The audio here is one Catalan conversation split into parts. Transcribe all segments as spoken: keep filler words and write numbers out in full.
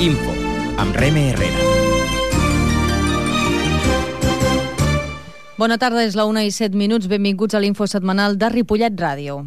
Info, amb Reme Herrera. Bona tarda, és la una i set minuts. Benvinguts a l'Info setmanal de Ripollet Ràdio.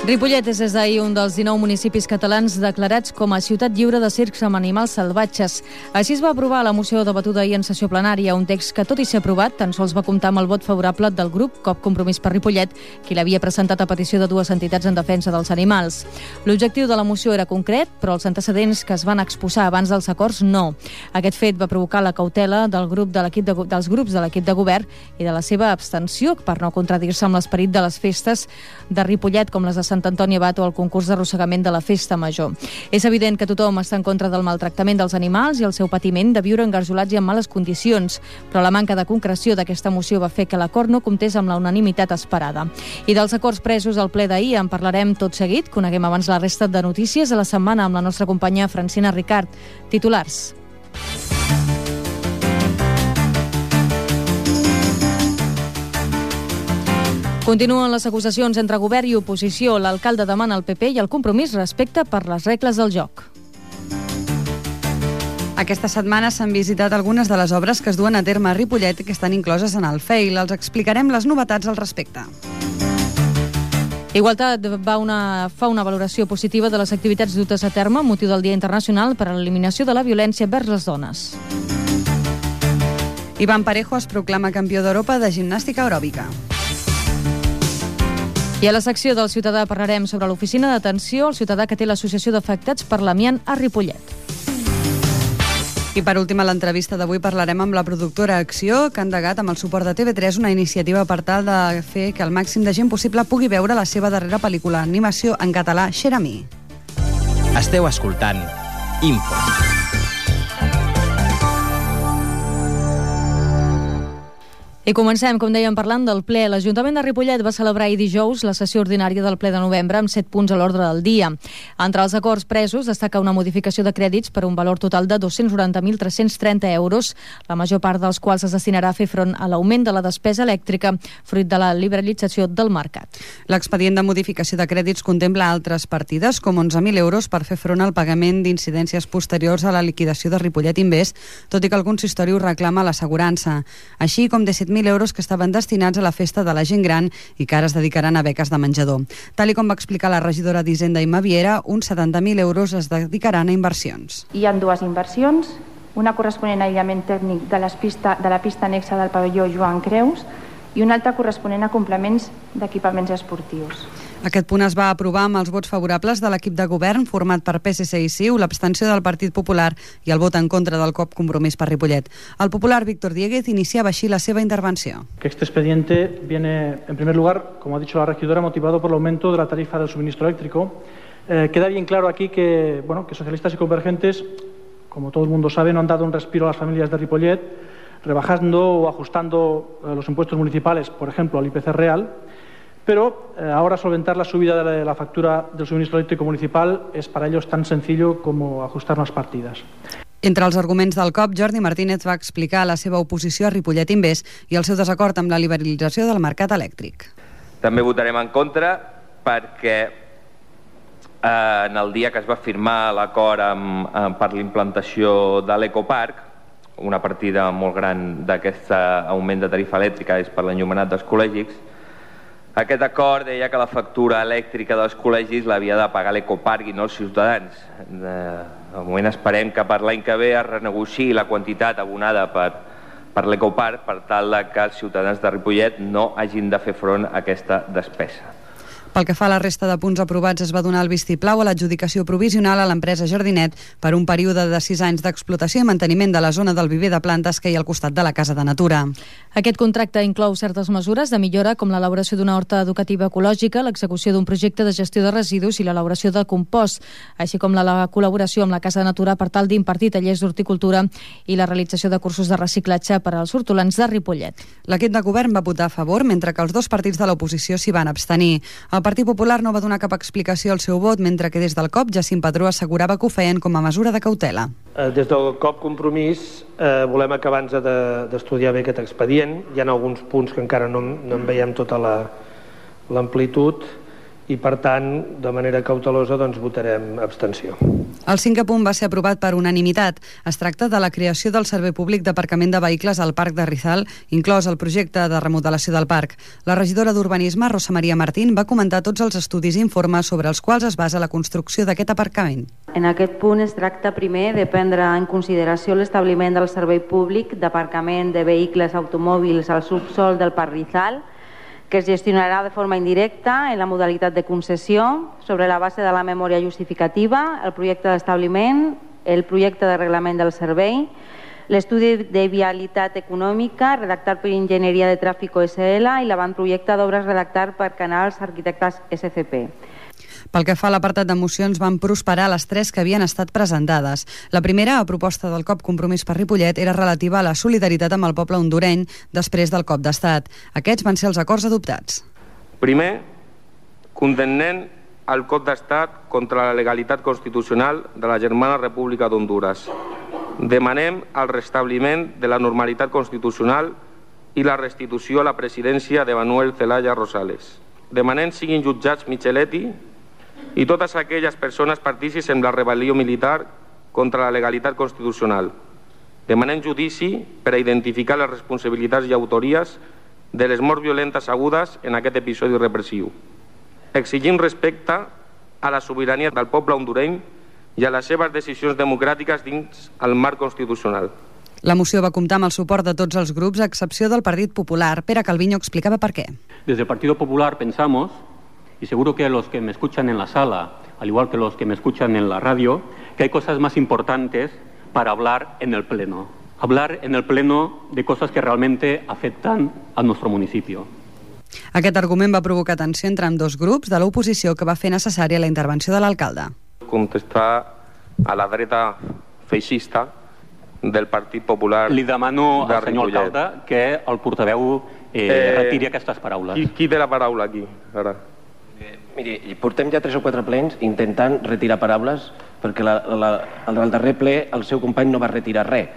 Ripollet és des d'ahir un dels dinou municipis catalans declarats com a ciutat lliure de circs amb animals salvatges. Així es va aprovar la moció debatuda ahir en sessió plenària, un text que, tot i ser aprovat, tan sols va comptar amb el vot favorable del grup Cop Compromís per Ripollet, qui l'havia presentat a petició de dues entitats en defensa dels animals. L'objectiu de la moció era concret, però els antecedents que es van exposar abans dels acords no. Aquest fet va provocar la cautela del grup de l'equip de, dels grups de l'equip de govern i de la seva abstenció per no contradir-se amb l'esperit de les festes de Ripollet, com les de Sant Antoni Abat o el concurs d'arrossegament de la Festa Major. És evident que tothom està en contra del maltractament dels animals i el seu patiment de viure engarjolats i en males condicions, però la manca de concreció d'aquesta moció va fer que l'acord no comptés amb la unanimitat esperada. I dels acords presos al ple d'ahir en parlarem tot seguit. Coneguem abans la resta de notícies de la setmana amb la nostra companya Francina Ricard. Titulars. Continuen les acusacions entre govern i oposició. L'alcalde demana al P P i el Compromís respecte per les regles del joc. Aquesta setmana s'han visitat algunes de les obres que es duen a terme a Ripollet i que estan incloses en el F E I L. Els explicarem les novetats al respecte. Igualtat va una, fa una valoració positiva de les activitats dutes a terme amb motiu del Dia Internacional per a l'Eliminació de la Violència vers les dones. Iván Parejo es proclama campió d'Europa de gimnàstica aeròbica. I a la secció del Ciutadà parlarem sobre l'oficina d'atenció al ciutadà que té l'Associació d'Afectats per l'Amiant a Ripollet. I per últim, a l'entrevista d'avui parlarem amb la productora Acció, que ha endegat amb el suport de T V tres una iniciativa per tal de fer que el màxim de gent possible pugui veure la seva darrera pel·lícula d'animació en català, Xeramí. Esteu escoltant Info. I comencem, com dèiem, parlant del ple. L'Ajuntament de Ripollet va celebrar ahir dijous la sessió ordinària del ple de novembre amb set punts a l'ordre del dia. Entre els acords presos destaca una modificació de crèdits per un valor total de dos-cents noranta mil tres-cents trenta euros, la major part dels quals es destinarà a fer front a l'augment de la despesa elèctrica fruit de la liberalització del mercat. L'expedient de modificació de crèdits contempla altres partides, com onze mil euros per fer front al pagament d'incidències posteriors a la liquidació de Ripollet Invest, tot i que el consistori ho reclama a l'assegurança, així com disset mil euros que estaven destinats a la festa de la gent gran i que ara es dedicaran a beques de menjador. Tal i com va explicar la regidora d'Hisenda i Maviera, uns setanta mil euros es dedicaran a inversions. Hi ha dues inversions, una corresponent a aïllament tècnic de, les pista, de la pista anexa del pavelló Joan Creus i una altra corresponent a complements d'equipaments esportius. Aquest punt es va aprovar amb els vots favorables de l'equip de govern format per P S C i C I U, l'abstenció del Partit Popular i el vot en contra del Cop Compromís per Ripollet. El popular Víctor Dieguez iniciaba així la seva intervenció. Que este expediente viene, en primer lugar, como ha dicho la regidora, motivado por el aumento de la tarifa del suministro eléctrico. Eh, queda bien claro aquí que, bueno, que socialistas y convergentes, como todo el mundo sabe, no han dado un respiro a las familias de Ripollet, rebajando o ajustando eh, los impuestos municipales, por ejemplo, al I P C real. Pero eh, ahora solventar la subida de la, de la factura del suministro eléctrico municipal es para ellos tan sencillo como ajustar unas partidas. Entre els arguments del C O P, Jordi Martínez va explicar la seva oposició a Ripollet Invest i el seu desacord amb la liberalització del mercat elèctric. També votarem en contra perquè eh, en el dia que es va firmar l'acord amb, amb, per l'implantació de l'ecoparc, una partida molt gran d'aquest augment de tarifa elèctrica és per l'enllumenat dels col·legis. Aquest acord deia que la factura elèctrica dels col·legis l'havia de pagar l'ecoparc i no els ciutadans. De moment esperem que per l'any que ve es renegociï la quantitat abonada per, per l'ecoparc per tal que els ciutadans de Ripollet no hagin de fer front a aquesta despesa. Pel que fa a la resta de punts aprovats, es va donar el vistiplau a l'adjudicació provisional a l'empresa Jardinet per un període de sis anys d'explotació i manteniment de la zona del viver de plantes que hi ha al costat de la Casa de Natura. Aquest contracte inclou certes mesures de millora com l'elaboració d'una horta educativa ecològica, l'execució d'un projecte de gestió de residus i l'elaboració de compost, així com la, la col·laboració amb la Casa de Natura per tal d'impartir tallers d'horticultura i la realització de cursos de reciclatge per als hortolans de Ripollet. L'equip de govern va votar a favor, mentre que els dos partits de l'oposició s'hi van abstenir. El Partit Popular no va donar cap explicació al seu vot, mentre que des del C O P Jacint Padró assegurava que ho feien com a mesura de cautela. Des del C O P Compromís eh, volem acabar abans de, d'estudiar bé aquest expedient. Hi ha alguns punts que encara no, no en veiem tota la, l'amplitud i per tant, de manera cautelosa, doncs votarem abstenció. El cinquè punt va ser aprovat per unanimitat. Es tracta de la creació del servei públic d'aparcament de vehicles al Parc de Rizal, inclòs el projecte de remodelació del parc. La regidora d'Urbanisme, Rosa Maria Martín, va comentar tots els estudis i informes sobre els quals es basa la construcció d'aquest aparcament. En aquest punt es tracta primer de prendre en consideració l'establiment del servei públic d'aparcament de vehicles automòbils al subsol del Parc Rizal, que es gestionarà de forma indirecta en la modalitat de concessió sobre la base de la memòria justificativa, el projecte d'establiment, el projecte de reglament del servei, l'estudi de vialitat econòmica redactat per Enginyeria de Tràfic O S L i l'avantprojecte d'obres redactat per Canals Arquitectes S C P. Pel que fa a l'apartat de mocions, van prosperar les tres que havien estat presentades. La primera, a proposta del C O P Compromís per Ripollet, era relativa a la solidaritat amb el poble hondureny després del cop d'estat. Aquests van ser els acords adoptats. Primer, condemnem el cop d'estat contra la legalitat constitucional de la germana República d'Honduras. Demanem el restabliment de la normalitat constitucional i la restitució a la presidència de Manuel Zelaya Rosales. Demanem siguin jutjats Micheletti i totes aquelles persones partícips en la rebel·lió militar contra la legalitat constitucional. Demanem judici per a identificar les responsabilitats i autories de les morts violentes agudes en aquest episodi repressiu. Exigim respecte a la sobirania del poble hondureny i a les seves decisions democràtiques dins el marc constitucional. La moció va comptar amb el suport de tots els grups, a excepció del Partit Popular. Pere Calviño explicava per què. Desde el Partido Popular pensamos, y seguro que los que me escuchan en la sala, al igual que los que me escuchan en la radio, que hay cosas más importantes para hablar en el Pleno. Hablar en el Pleno de cosas que realmente afectan a nuestro municipio. Aquest argument va provocar tensió entre ambdós grups de l'oposició que va fer necessària la intervenció de l'alcalde. Contestar a la dreta feixista del Partit Popular. Li demano al senyor alcalde que el portaveu eh, eh, retiri aquestes paraules. Qui, qui té la paraula aquí? Ara. Eh, miri, portem ja tres o quatre plens intentant retirar paraules perquè la, la, el del darrer ple el seu company no va retirar res.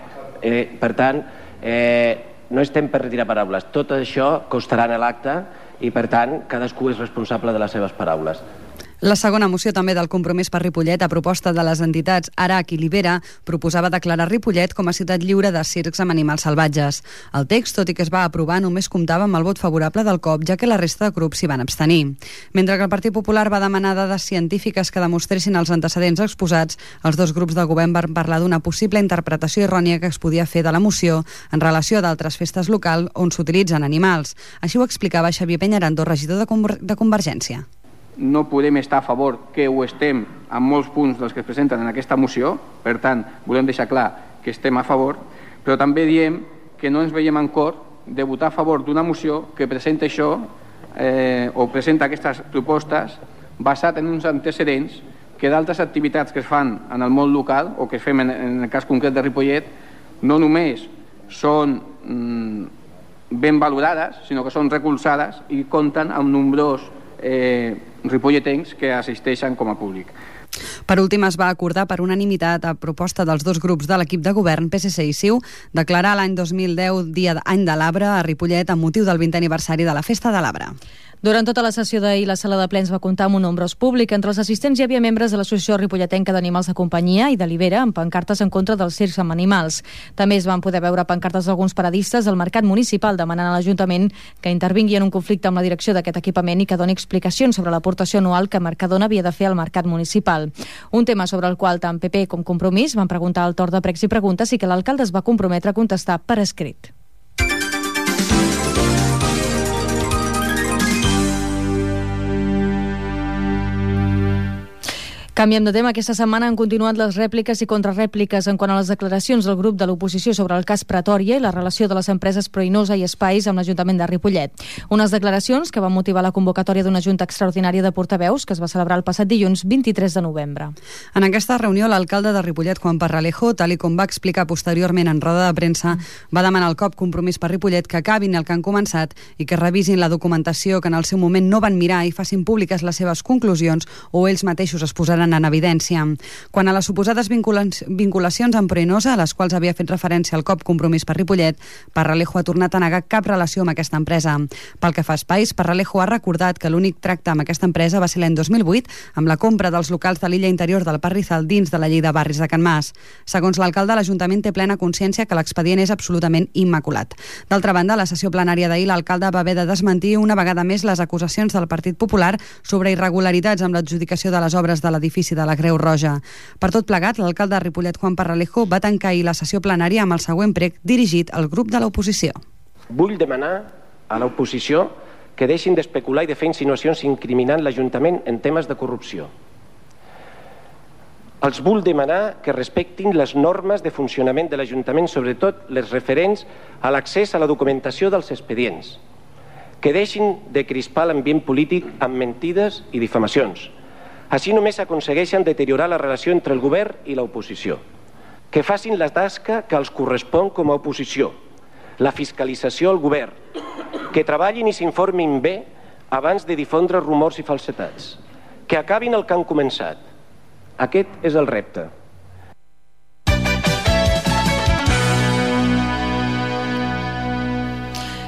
Eh, per tant, eh, no estem per retirar paraules. Tot això costarà en l'acte i, per tant, cadascú és responsable de les seves paraules. La segona moció també del Compromís per Ripollet, a proposta de les entitats Arac i Libera, proposava declarar Ripollet com a ciutat lliure de circs amb animals salvatges. El text, tot i que es va aprovar, només comptava amb el vot favorable del C O P, ja que la resta de grups s'hi van abstenir. Mentre que el Partit Popular va demanar dades científiques que demostressin els antecedents exposats, els dos grups de govern van parlar d'una possible interpretació errònia que es podia fer de la moció en relació a d'altres festes locals on s'utilitzen animals. Així ho explicava Xavier Peñarando, regidor de, Conver de Convergència. No podem estar a favor, que ho estem en molts punts dels que es presenten en aquesta moció, per tant, volem deixar clar que estem a favor, però també diem que no ens veiem en cor de votar a favor d'una moció que presenta això eh, o presenta aquestes propostes basat en uns antecedents que d'altres activitats que es fan en el món local o que fem en, en el cas concret de Ripollet no només són mm, ben valorades, sinó que són recolzades i compten amb nombrós eh, ripolletens que assisteixen com a públic. Per últim, es va acordar per unanimitat, a proposta dels dos grups de l'equip de govern, P S C i C I U, declarar l'any dos mil deu Dia d'Any de l'Arbre a Ripollet amb motiu del vintè aniversari de la Festa de l'Arbre. Durant tota la sessió d'ahir, la sala de plens va comptar amb un nombrós públic. Entre els assistents hi havia membres de l'Associació Ripolletenca d'Animals de Companyia i de Libera, amb pancartes en contra dels circs amb animals. També es van poder veure pancartes d'alguns paradistes al mercat municipal demanant a l'Ajuntament que intervingui en un conflicte amb la direcció d'aquest equipament i que doni explicacions sobre l'aportació anual que Mercadona havia de fer al mercat municipal. Un tema sobre el qual tant P P com Compromís van preguntar al torn de pregs i preguntes i que l'alcalde es va comprometre a contestar per escrit. Canviem de tema. Aquesta setmana han continuat les rèpliques i contrarèpliques en quant a les declaracions del grup de l'oposició sobre el cas Pretòria i la relació de les empreses Proinosa i Espais amb l'Ajuntament de Ripollet. Unes declaracions que van motivar la convocatòria d'una junta extraordinària de portaveus que es va celebrar el passat dilluns vint-i-tres de novembre. En aquesta reunió, l'alcalde de Ripollet, Juan Parralejo, tal i com va explicar posteriorment en roda de premsa, va demanar al C O P Compromís per Ripollet que acabin el que han començat i que revisin la documentació que en el seu moment no van mirar i facin públiques les seves conclusions o ells mateixos es posaran queden en evidència. Quan a les suposades vinculacions amb Proenosa, a les quals havia fet referència el cop Compromís per Ripollet, Parralejo ha tornat a negar cap relació amb aquesta empresa. Pel que fa a espais, Parralejo ha recordat que l'únic tracte amb aquesta empresa va ser l'any dos mil vuit, amb la compra dels locals de l'illa interior del Parrizal dins de la llei de barris de Can Mas. Segons l'alcalde, l'Ajuntament té plena consciència que l'expedient és absolutament immaculat. D'altra banda, a la sessió plenària d'ahir, l'alcalde va haver de desmentir una vegada més les acusacions del Partit Popular sobre irregularitats amb l'adjudicació de les obres de l'edifici de la Creu Roja. Per tot plegat, l'alcalde de Ripollet, Juan Parralejo, va tancar ahir la sessió plenària amb el següent prec dirigit al grup de l'oposició. Vull demanar a l'oposició que deixin d'especular i de fer insinuacions incriminant l'Ajuntament en temes de corrupció. Els vull demanar que respectin les normes de funcionament de l'Ajuntament, sobretot les referents a l'accés a la documentació dels expedients. Que deixin de crispar l'ambient polític amb mentides i difamacions. Així només aconsegueixen deteriorar la relació entre el govern i l'oposició. Que facin la tasca que els correspon com a oposició, la fiscalització al govern, que treballin i s'informin bé abans de difondre rumors i falsetats, que acabin el que han començat. Aquest és el repte.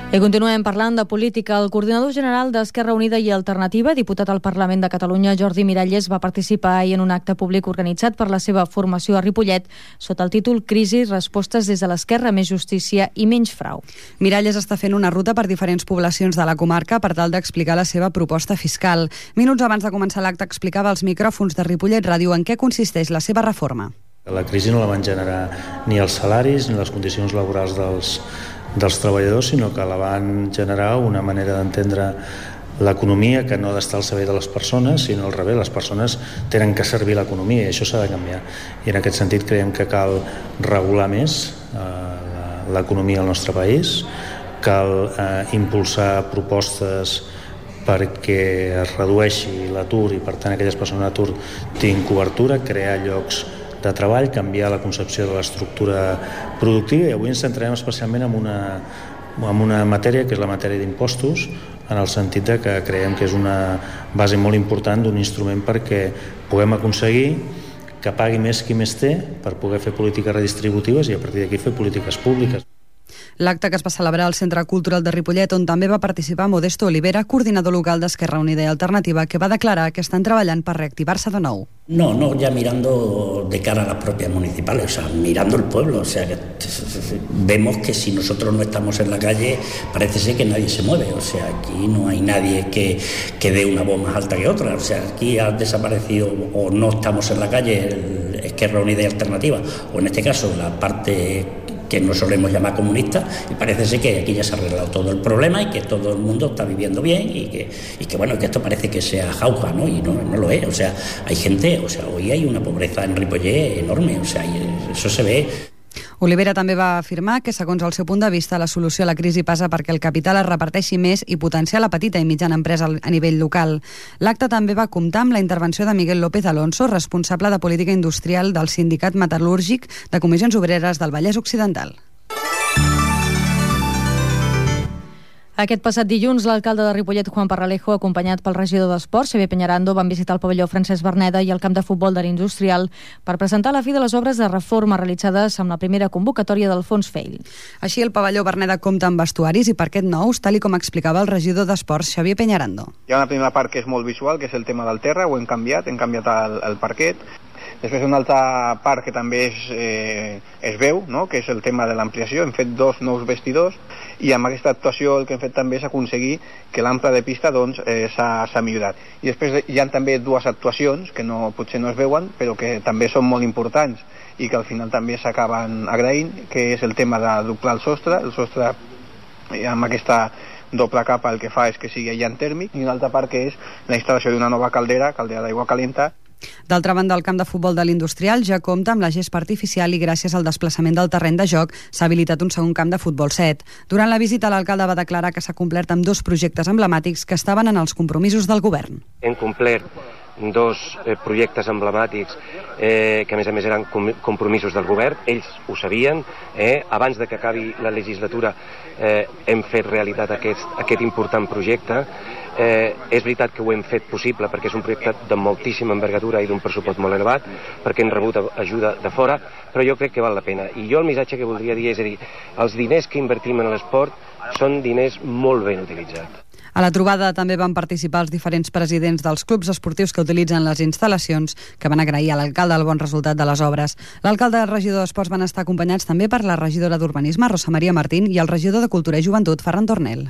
I continuem parlant de política. El coordinador general d'Esquerra Unida i Alternativa, diputat al Parlament de Catalunya, Jordi Miralles, va participar ahir en un acte públic organitzat per la seva formació a Ripollet sota el títol Crisi, respostes des de l'esquerra, més justícia i menys frau. Miralles està fent una ruta per diferents poblacions de la comarca per tal d'explicar la seva proposta fiscal. Minuts abans de començar l'acte explicava als micròfons de Ripollet Ràdio en què consisteix la seva reforma. La crisi no la van generar ni els salaris ni les condicions laborals dels dels treballadors, sinó que la van generar una manera d'entendre l'economia que no ha d'estar al servei de les persones, sinó al revés, les persones tenen que servir l'economia i això s'ha de canviar. I en aquest sentit creiem que cal regular més eh, l'economia al nostre país, cal eh, impulsar propostes perquè es redueixi l'atur i per tant aquelles persones en atur tinguin cobertura, crear llocs de treball, canviar la concepció de l'estructura productiva i avui ens centrarem especialment en una, en una matèria que és la matèria d'impostos, en el sentit de que creiem que és una base molt important d'un instrument perquè puguem aconseguir que pagui més qui més té per poder fer polítiques redistributives i a partir d'aquí fer polítiques públiques. L'acte que es va celebrar al Centre Cultural de Ripollet, on també va participar Modesto Olivera, coordinador local d'Esquerra Unida i Alternativa, que va declarar que estan treballant per reactivar-se de nou. No, no, ya mirando de cara a las propias municipales, o sea, mirando el pueblo, o sea, que vemos que si nosotros no estamos en la calle, parece ser que nadie se mueve, o sea, aquí no hay nadie que, que dé una voz más alta que otra, o sea, aquí ha desaparecido o no estamos en la calle el Esquerra Unida y Alternativa, o en este caso la parte que no solemos llamar comunista, y parece ser que aquí ya se ha arreglado todo el problema y que todo el mundo está viviendo bien y que, y que bueno, que esto parece que sea jauja, ¿no? Y no, no lo es, o sea, hay gente, o sea, hoy hay una pobreza en Ripollet enorme, o sea, y eso se ve. Olivera també va afirmar que, segons el seu punt de vista, la solució a la crisi passa perquè el capital es reparteixi més i potenciar la petita i mitjana empresa a nivell local. L'acte també va comptar amb la intervenció de Miguel López Alonso, responsable de política industrial del Sindicat Metal·lúrgic de Comissions Obreres del Vallès Occidental. Aquest passat dilluns, l'alcalde de Ripollet, Juan Parralejo, acompanyat pel regidor d'Esports, Xavier Peñarando, van visitar el pavelló Francesc Verneda i el camp de futbol de l'Industrial per presentar la fi de les obres de reforma realitzades amb la primera convocatòria del Fons Feil. Així, el pavelló Verneda compta amb vestuaris i parquet nous, tal i com explicava el regidor d'Esports, Xavier Peñarando. Hi ha una primera part que és molt visual, que és el tema del terra, ho hem canviat, hem canviat el, el parquet. Després una altra part que també es, eh, es veu, no? Que és el tema de l'ampliació. Hem fet dos nous vestidors i amb aquesta actuació el que hem fet també és aconseguir que l'ample de pista doncs, eh, s'ha millorat. I després hi ha també dues actuacions que no, potser no es veuen, però que també són molt importants i que al final també s'acaben agraint, que és el tema de doblar el sostre. El sostre eh, amb aquesta doble capa el que fa és que sigui aïllant tèrmic, i una altra part que és la instal·lació d'una nova caldera, caldera d'aigua calenta. D'altra banda, el camp de futbol de l'Industrial ja compta amb la gespa artificial i gràcies al desplaçament del terreny de joc s'ha habilitat un segon camp de futbol set. Durant la visita, l'alcalde va declarar que s'ha complert amb dos projectes emblemàtics que estaven en els compromisos del govern. Hem complert dos eh, projectes emblemàtics eh, que a més a més eren com compromisos del govern, ells ho sabien, eh, abans de que acabi la legislatura eh, hem fet realitat aquest, aquest important projecte. Eh, és veritat que ho hem fet possible perquè és un projecte de moltíssima envergadura i d'un pressupost molt elevat, perquè hem rebut ajuda de fora, però jo crec que val la pena. I jo el missatge que voldria dir és a dir, els diners que invertim en l'esport són diners molt ben utilitzats. A la trobada també van participar els diferents presidents dels clubs esportius que utilitzen les instal·lacions, que van agrair a l'alcalde el bon resultat de les obres. L'alcalde i el regidor d'Esports van estar acompanyats també per la regidora d'Urbanisme, Rosa Maria Martín, i el regidor de Cultura i Joventut, Ferran Tornel.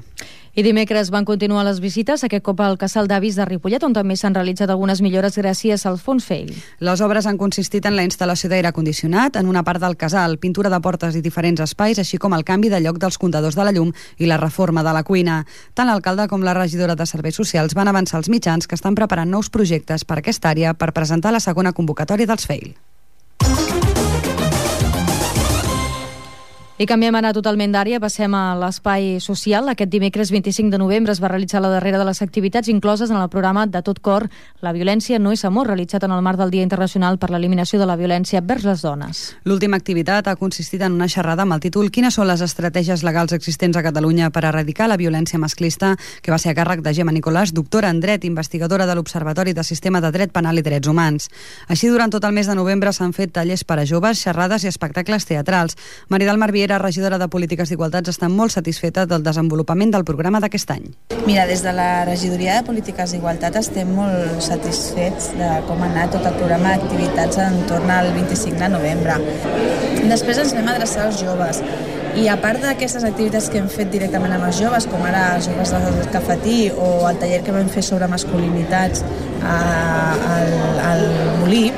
I dimecres van continuar les visites, aquest cop al Casal d'Avis de Ripollet, on també s'han realitzat algunes millores gràcies al Fons Feix. Les obres han consistit en la instal·lació d'aire condicionat en una part del casal, pintura de portes i diferents espais, així com el canvi de lloc dels comptadors de la llum i la reforma de la cuina. Tant l'alcalde com la regidora de Serveis Socials van avançar als mitjans que estan preparant nous projectes per aquesta àrea per presentar la segona convocatòria dels F E I L. I canviem ara totalment d'àrea, passem a l'espai social. Aquest dimecres vint-i-cinc de novembre es va realitzar la darrera de les activitats incloses en el programa De tot cor, La violència no és amor, realitzat en el marc del Dia Internacional per l'Eliminació de la Violència vers les Dones. L'última activitat ha consistit en una xerrada amb el títol Quines són les estratègies legals existents a Catalunya per erradicar la violència masclista, que va ser a càrrec de Gemma Nicolàs, doctora en dret, investigadora de l'Observatori de Sistema de Dret Penal i Drets Humans. Així, durant tot el mes de novembre s'han fet tallers per a joves, xerrades i espectacles teatrals. Maridal Marviera, regidora de Polítiques d'Igualtats, està molt satisfeta del desenvolupament del programa d'aquest any. Mira, des de la regidoria de Polítiques d'Igualtat estem molt satisfets de com ha anat tot el programa d'activitats entorn al vint-i-cinc de novembre. Després ens vam adreçar als joves. I a part d'aquestes activitats que hem fet directament amb els joves, com ara els joves del cafetí o el taller que vam fer sobre masculinitats al, al Molí,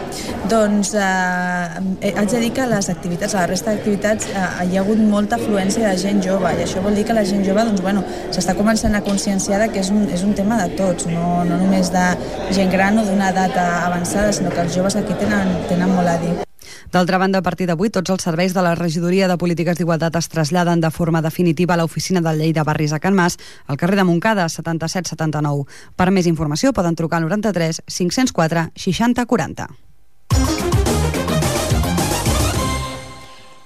doncs eh, haig de dir que a les activitats, a la resta d'activitats, eh, hi ha hagut molta afluència de gent jove, i això vol dir que la gent jove doncs, bueno, s'està començant a conscienciar que és un, és un tema de tots, no, no només de gent gran o d'una edat avançada, sinó que els joves aquí tenen, tenen molt a dir. D'altra banda, a partir d'avui, tots els serveis de la Regidoria de Polítiques d'Igualtat es traslladen de forma definitiva a l'oficina del Llei de Barris a Can Mas, al carrer de Montcada, setanta-set setanta-nou. Per més informació poden trucar al noranta-tres cinc-cents quatre seixanta quaranta.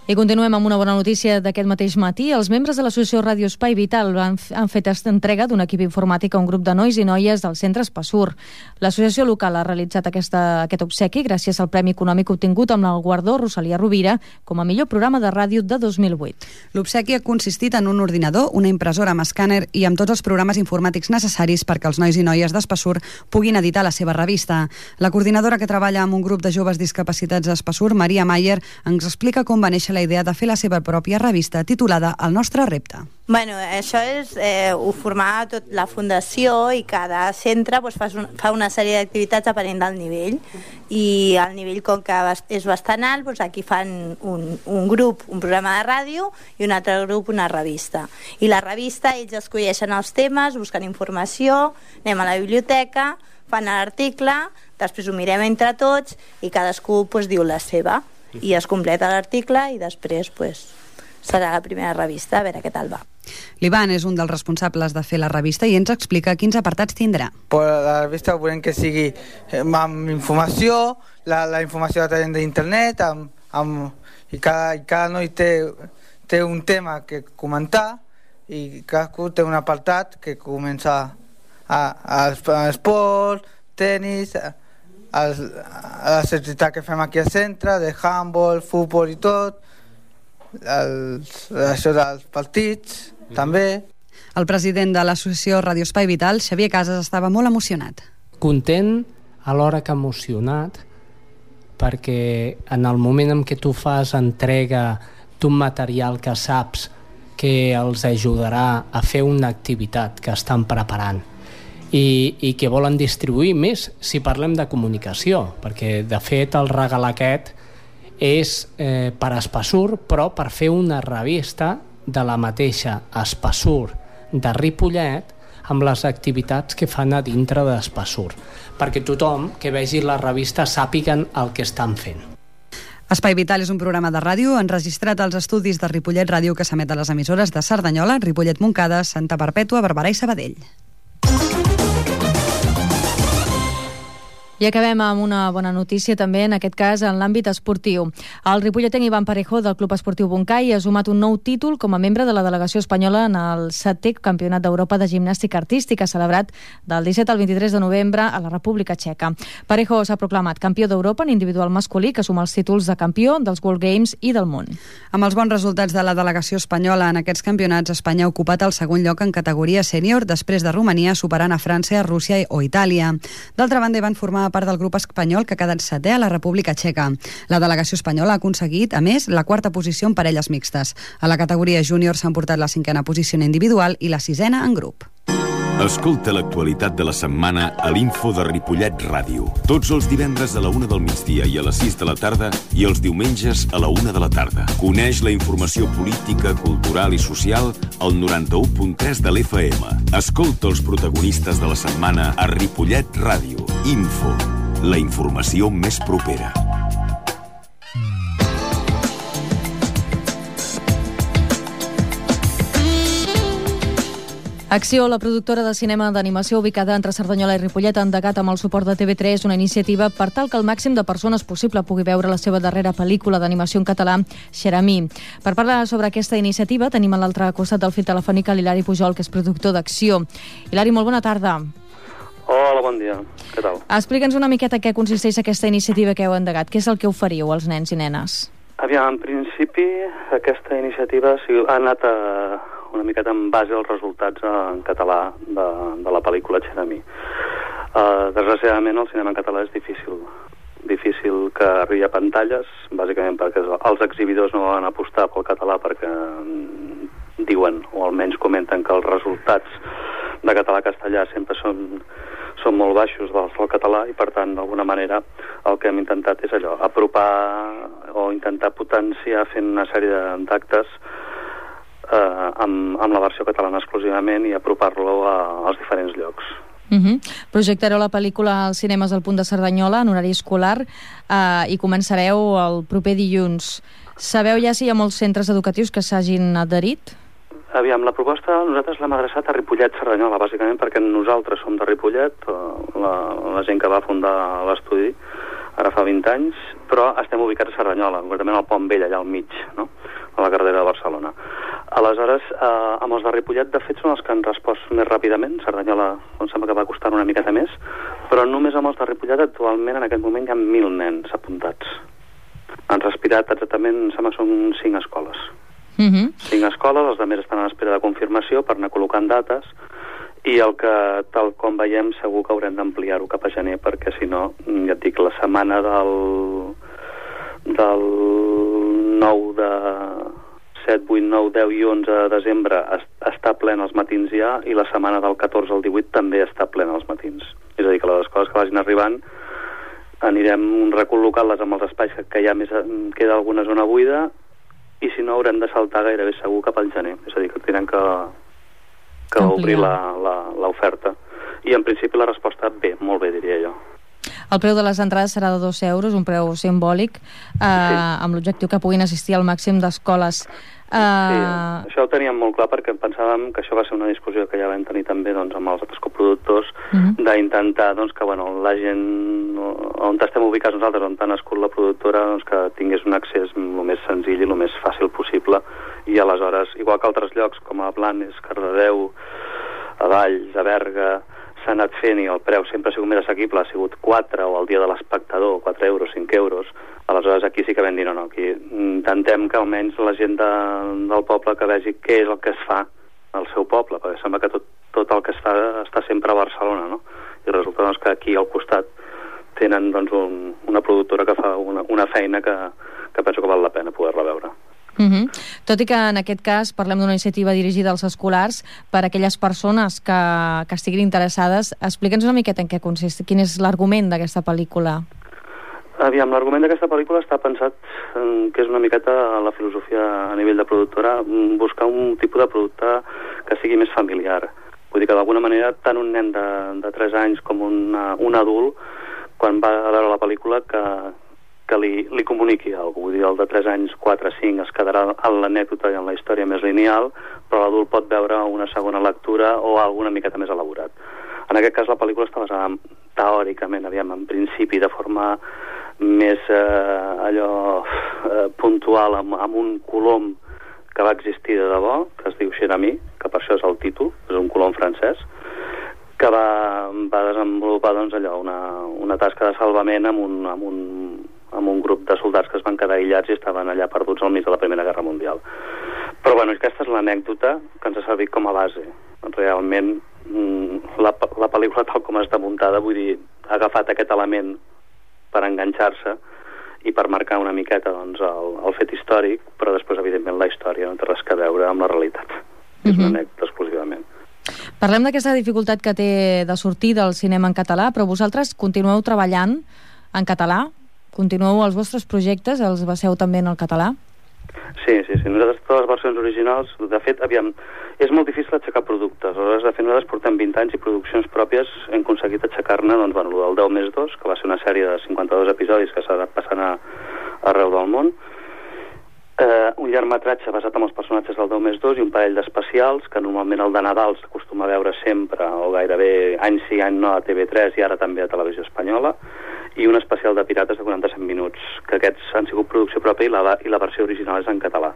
I continuem amb una bona notícia d'aquest mateix matí. Els membres de l'associació Ràdio Espai Vital han, han fet entrega d'un equip informàtic a un grup de nois i noies del centre Espassur. L'associació local ha realitzat aquesta, aquest obsequi gràcies al premi econòmic obtingut amb el guardó Rosalia Rovira com a millor programa de ràdio de dos mil vuit. L'obsequi ha consistit en un ordinador, una impressora amb escàner i amb tots els programes informàtics necessaris perquè els nois i noies d'Espassur puguin editar la seva revista. La coordinadora que treballa amb un grup de joves discapacitats d'Espassur, Maria Mayer, ens explica com va néixer la idea de fer la seva pròpia revista titulada El nostre repte. Bueno, això és eh, ho formar tot la fundació i cada centre doncs, fa, un, fa una sèrie d'activitats depenent del nivell i el nivell com que és bastant alt, doncs aquí fan un, un grup, un programa de ràdio i un altre grup una revista. I la revista ells escolleixen els temes, busquen informació, anem a la biblioteca, fan l'article, després ho mirem entre tots i cadascú doncs, diu la seva. I es completa l'article i després pues, serà la primera revista, a veure què tal va. L'Ivan és un dels responsables de fer la revista i ens explica quins apartats tindrà. Per la revista volem que sigui amb informació, la, la informació la traiem d'internet, amb, amb, i, cada, i cada noi té, té un tema que comentar i cadascú té un apartat que comença a, a, a esport, tenis, a, a les activitats que fem aquí al centre, de handball, futbol i tot, els, això dels partits, mm-hmm. també. El president de l'associació Ràdio Espai Vital, Xavier Casas, estava molt emocionat. Content, alhora que emocionat, perquè en el moment en què tu fas entrega d'un material que saps que els ajudarà a fer una activitat que estan preparant, I, i que volen distribuir més si parlem de comunicació, perquè de fet el regal aquest és eh, per Espassur, però per fer una revista de la mateixa Espassur de Ripollet amb les activitats que fan a dintre d'Espassur, perquè tothom que vegi la revista sàpiguen el que estan fent. Espai Vital és un programa de ràdio enregistrat als estudis de Ripollet Ràdio que s'emet a les emissores de Cerdanyola, Ripollet Montcada, Santa Perpètua, Barberà i Sabadell. I acabem amb una bona notícia també, en aquest cas en l'àmbit esportiu. El ripolletenc Ivan Parejo del Club Esportiu Boncai ha sumat un nou títol com a membre de la delegació espanyola en el setè Campionat d'Europa de Gimnàstica Artística, celebrat del disset al vint-i-tres de novembre a la República Txeca. Parejo s'ha proclamat campió d'Europa en individual masculí, que suma els títols de campió dels World Games i del món. Amb els bons resultats de la delegació espanyola en aquests campionats, Espanya ha ocupat el segon lloc en categoria sènior, després de Romania, superant a França, Rússia o Itàlia. D'altra banda, van formar part del grup espanyol que ha quedat setè a la República Txeca. La delegació espanyola ha aconseguit, a més, la quarta posició en parelles mixtes. A la categoria júnior s'han portat la cinquena posició en individual i la sisena en grup. Escolta l'actualitat de la setmana a l'Info de Ripollet Ràdio. Tots els divendres a la una del migdia i a les sis de la tarda i els diumenges a la una de la tarda. Coneix la informació política, cultural i social al noranta-u punt tres de l'F M. Escolta els protagonistes de la setmana a Ripollet Ràdio. Info, la informació més propera. Acció, la productora de cinema d'animació ubicada entre Cerdanyola i Ripollet, ha endegat amb el suport de T V tres una iniciativa per tal que el màxim de persones possible pugui veure la seva darrera pel·lícula d'animació en català, Xeramí. Per parlar sobre aquesta iniciativa tenim a l'altre costat del fil telefònic l'Hilari Pujol, que és productor d'Acció. Hilari, molt bona tarda. Hola, bon dia. Què tal? Explica'ns una miqueta què consisteix aquesta iniciativa que heu endegat. Què és el que oferiu als nens i nenes? Aviam, en principi, aquesta iniciativa ha anat a una miqueta en base als resultats en català de, de la pel·lícula Xeramí. Uh, desgraciadament el cinema en català és difícil difícil que arribi a pantalles, bàsicament perquè els exhibidors no van apostar pel català perquè diuen, o almenys comenten, que els resultats de català-castellà sempre són, són molt baixos dels del català i per tant d'alguna manera el que hem intentat és allò, apropar o intentar potenciar fent una sèrie d'actes Eh, amb, amb la versió catalana exclusivament i apropar-lo a, als diferents llocs. Uh -huh. Projectareu la pel·lícula als cinemes del Punt de Cerdanyola en horari escolar eh, i començareu el proper dilluns. Sabeu ja si hi ha molts centres educatius que s'hagin adherit? Aviam, la proposta nosaltres l'hem adreçat a Ripollet-Cerdanyola, bàsicament perquè nosaltres som de Ripollet, la, la gent que va fundar l'estudi ara fa vint anys, però estem ubicats a Cerdanyola, concretament al Pont Vell, allà al mig, no?, a la carretera de Barcelona. Aleshores, eh, amb els de Ripollet, de fet, són els que han respost més ràpidament. Cerdanyola, em sembla que va costar una miqueta més, però només amb els de Ripollet, actualment, en aquest moment, hi ha mil nens apuntats. Han respirat exactament, em sembla que són cinc escoles. Uh -huh. Cinc escoles, els altres estan a l'espera de confirmació per anar col·locant dates, i el que, tal com veiem, segur que haurem d'ampliar-ho cap a gener, perquè, si no, ja et dic, la setmana del... del nou de set, vuit, nou, deu i onze de desembre està plena als matins ja, i la setmana del catorze al divuit també està plena als matins. És a dir, que les escoles que vagin arribant anirem recol·locant-les amb els espais que, que ja més queda alguna zona buida, i si no haurem de saltar gairebé segur cap al gener. És a dir, que tenen que, que obrir l'oferta. I en principi la resposta bé, molt bé, diria jo. El preu de les entrades serà de dos euros, un preu simbòlic, eh, sí. amb l'objectiu que puguin assistir al màxim d'escoles. Eh... Sí, això ho teníem molt clar perquè pensàvem que això va ser una discussió que ja vam tenir també doncs, amb els altres coproductors, uh -huh. d'intentar doncs, que bueno, la gent on estem ubicats nosaltres, on ha nascut la productora, doncs, que tingués un accés el més senzill i el més fàcil possible, i aleshores, igual que altres llocs com a Blanes, Cardedeu, a Valls, a Berga, s'ha anat fent i el preu sempre ha sigut més assequible, ha sigut quatre o el dia de l'espectador, quatre euros, cinc euros. Aleshores aquí sí que vam dir no, no, aquí intentem que almenys la gent de, del poble que vegi què és el que es fa al seu poble, perquè sembla que tot, tot el que es fa està sempre a Barcelona, no? I resulta doncs, que aquí al costat tenen doncs, un, una productora que fa una, una feina que, que penso que val la pena poder-la veure. Uh -huh. Tot i que en aquest cas parlem d'una iniciativa dirigida als escolars per a aquelles persones que, que estiguin interessades, explica'ns una miqueta en què consist, quin és l'argument d'aquesta pel·lícula. Aviam, l'argument d'aquesta pel·lícula està pensat en, que és una miqueta la filosofia a nivell de productora, buscar un tipus de producte que sigui més familiar. Vull dir que d'alguna manera tant un nen de, de tres anys com una, un adult, quan va a veure la pel·lícula, que que li, li comuniqui alguna cosa. Vull dir, el de tres anys, quatre, cinc es quedarà en l'anècdota i en la història més lineal, però l'adult pot veure una segona lectura o alguna miqueta més elaborat. En aquest cas la pel·lícula està basada teòricament, aviam, en principi, de forma més eh, allò eh, puntual, amb, amb un colom que va existir de debò, que es diu Xeramí, que per això és el títol, és un colom francès, que va, va desenvolupar doncs, allò, una, una tasca de salvament amb un, amb, un, amb un grup de soldats que es van quedar aïllats i estaven allà perduts al mig de la Primera Guerra Mundial. Però bueno, aquesta és l'anècdota que ens ha servit com a base. Realment, la, la pel·lícula tal com està muntada, vull dir, ha agafat aquest element per enganxar-se i per marcar una miqueta doncs, el, el fet històric, però després, evidentment, la història no té res a veure amb la realitat. Mm-hmm. És una anècdota exclusivament. Parlem d'aquesta dificultat que té de sortir del cinema en català, però vosaltres continueu treballant en català? Continueu els vostres projectes? Els baseu també en el català? Sí, sí, sí. Nosaltres, totes les versions originals, de fet, aviam, és molt difícil aixecar productes. Aleshores, de fet, nosaltres portem vint anys i produccions pròpies hem aconseguit aixecar-ne, doncs, bueno, el deu més dos, que va ser una sèrie de cinquanta-dos episodis que s'ha anat passant a, arreu del món, eh, un llargmetratge basat en els personatges del deu més dos i un parell d'especials, que normalment el de Nadal s'acostuma a veure sempre, o gairebé any sí, any no, a T V tres i ara també a Televisió Espanyola, i un especial de Pirates de quaranta-set minuts, que aquests han sigut producció pròpia i la, i la versió original és en català.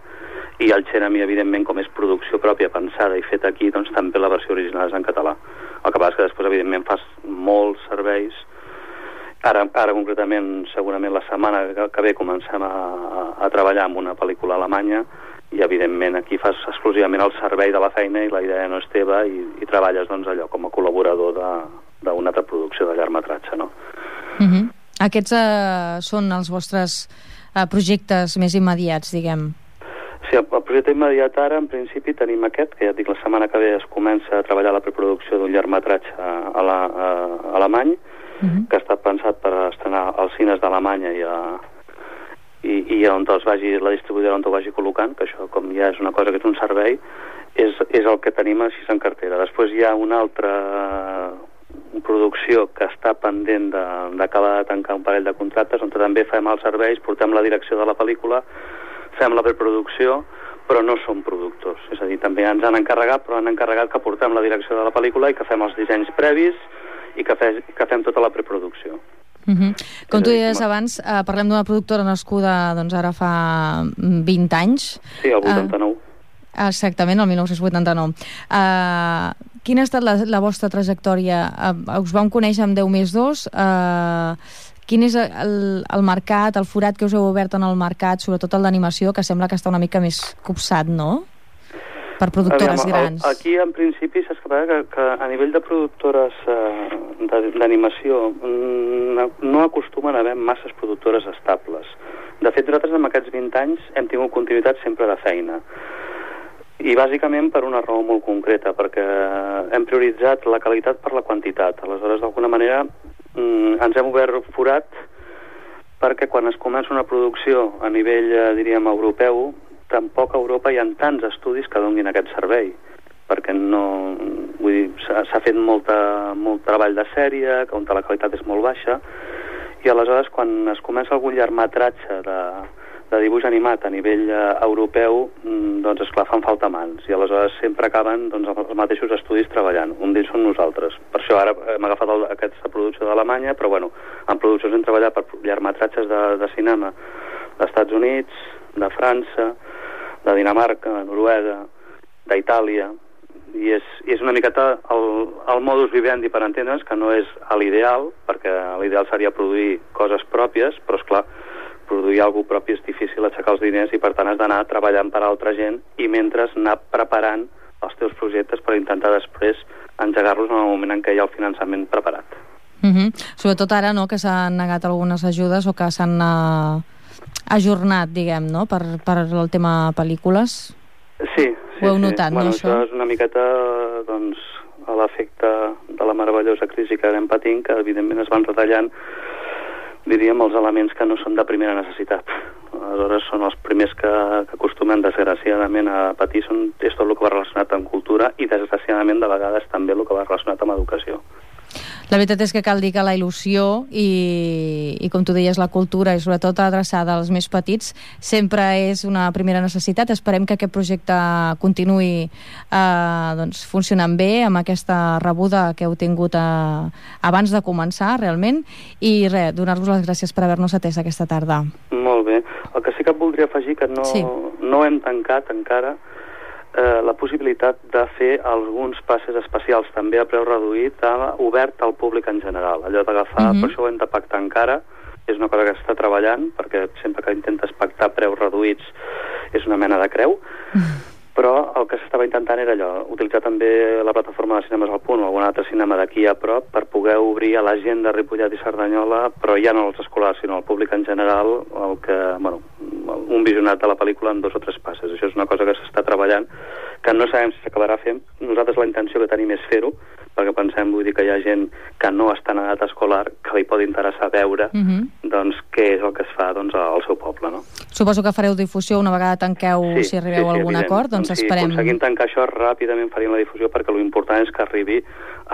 I el Xerami, evidentment, com és producció pròpia, pensada i feta aquí, doncs també la versió original és en català. El que passa és que després, evidentment, fas molts serveis. Ara, ara concretament, segurament la setmana que, que ve comencem a, a, a treballar amb una pel·lícula alemanya i, evidentment, aquí fas exclusivament el servei de la feina i la idea no és teva i, i treballes, doncs, allò com a col·laborador d'una altra producció de llargmetratge, no? Uh-huh. Aquests uh, són els vostres uh, projectes més immediats, diguem. Sí, el projecte immediat ara, en principi, tenim aquest, que ja et dic, la setmana que ve es comença a treballar la preproducció d'un llargmetratge a la, a, a alemany, uh-huh. que ha estat pensat per estrenar als cines d'Alemanya i, a, i, i on els vagi, la distribuïdora on ho vagi col·locant, que això, com ja és una cosa que és un servei, és, és el que tenim així en cartera. Després hi ha una altra producció que està pendent d'acabar de, de tancar un parell de contractes on també fem els serveis, portem la direcció de la pel·lícula, fem la preproducció, però no som productors. És a dir, també ens han encarregat, però han encarregat que portem la direcció de la pel·lícula i que fem els dissenys previs i que, fe, que fem tota la preproducció. Uh-huh. Com tu deies abans, eh, parlem d'una productora nascuda doncs, ara fa vint anys. Sí, el vuitanta-nou. Uh, exactament, el dinou vuitanta-nou. Uh, quina ha estat la, la vostra trajectòria? Uh, us vam conèixer amb deu més dos. Uh, quin és el, el mercat, el forat que us heu obert en el mercat, sobretot el d'animació, que sembla que està una mica més copsat, no? Per productores Aviam, grans. El, aquí, en principi, saps que, que a nivell de productores eh, d'animació no, no acostumen a haver masses productores estables. De fet, nosaltres en aquests vint anys hem tingut continuïtat sempre de feina. I bàsicament per una raó molt concreta, perquè hem prioritzat la qualitat per la quantitat. Aleshores, d'alguna manera, ens hem obert forat perquè quan es comença una producció a nivell, diríem, europeu, tampoc a Europa hi ha tants estudis que donin aquest servei, perquè no, vull dir, s'ha fet molta, molt treball de sèrie, on la qualitat és molt baixa, i aleshores quan es comença algun llargmetratge de, de dibuix animat a nivell eh, europeu, doncs esclar, fan falta mans, i aleshores sempre acaben doncs, els mateixos estudis treballant. Un d'ells són nosaltres. Per això ara hem agafat el, aquesta producció d'Alemanya, però bueno, en produccions hem treballat per llargmetratges de, de cinema d'Estats Units, de França, de Dinamarca, de Noruega, d'Itàlia, i és, i és una miqueta el, el modus vivendi, per entendre'ns, que no és l'ideal, perquè l'ideal seria produir coses pròpies, però esclar, produir alguna cosa propi és difícil, aixecar els diners, i per tant has d'anar treballant per a altra gent i mentre anar preparant els teus projectes per intentar després engegar-los en el moment en què hi ha el finançament preparat. Uh-huh. Sobretot ara, no?, que s'han negat algunes ajudes o que s'han uh, ajornat, diguem, no?, per, per el tema pel·lícules. Sí, sí. Ho heu notat, sí. Bueno, no, això? Això és una miqueta, doncs, a l'efecte de la meravellosa crisi que anem patint, que evidentment es van retallant, diríem, els elements que no són de primera necessitat. Aleshores són els primers que, que acostumen desgraciadament a patir, són, és tot el que va relacionat amb cultura i desgraciadament de vegades també el que va relacionat amb educació. La veritat és que cal dir que la il·lusió i, i com tu deies, la cultura i sobretot adreçada als més petits sempre és una primera necessitat. Esperem que aquest projecte continuï eh, doncs, funcionant bé amb aquesta rebuda que heu tingut eh, abans de començar realment i res, donar-vos les gràcies per haver-nos atès aquesta tarda. Molt bé. El que sí que voldria afegir que no, sí. no hem tancat encara Eh, la possibilitat de fer alguns passes especials també a preu reduït, a, obert al públic en general. Allò d'agafar, uh-huh. per això ho hem de pactar encara, és una cosa que està treballant, perquè sempre que intentes pactar preus reduïts és una mena de creu, uh-huh. però el que s'estava intentant era allò, utilitzar també la plataforma de Cinemes al Punt o algun altre cinema d'aquí a prop per poder obrir a la gent de Ripollet i Cerdanyola, però ja no als escolars, sinó al públic en general, el que, bueno, un visionat de la pel·lícula en dos o tres passes. Això és una cosa que s'està treballant, que no sabem si s'acabarà fent. Nosaltres la intenció que tenim és fer-ho, perquè pensem, vull dir, que hi ha gent que no està en edat escolar, que li pot interessar veure uh-huh. doncs, què és el que es fa doncs, al seu poble. No? Suposo que fareu difusió una vegada tanqueu, sí, si arribeu sí, sí, a algun evident. acord, doncs, doncs sí, esperem... Si aconseguim tancar això, ràpidament faríem la difusió, perquè l'important és que arribi,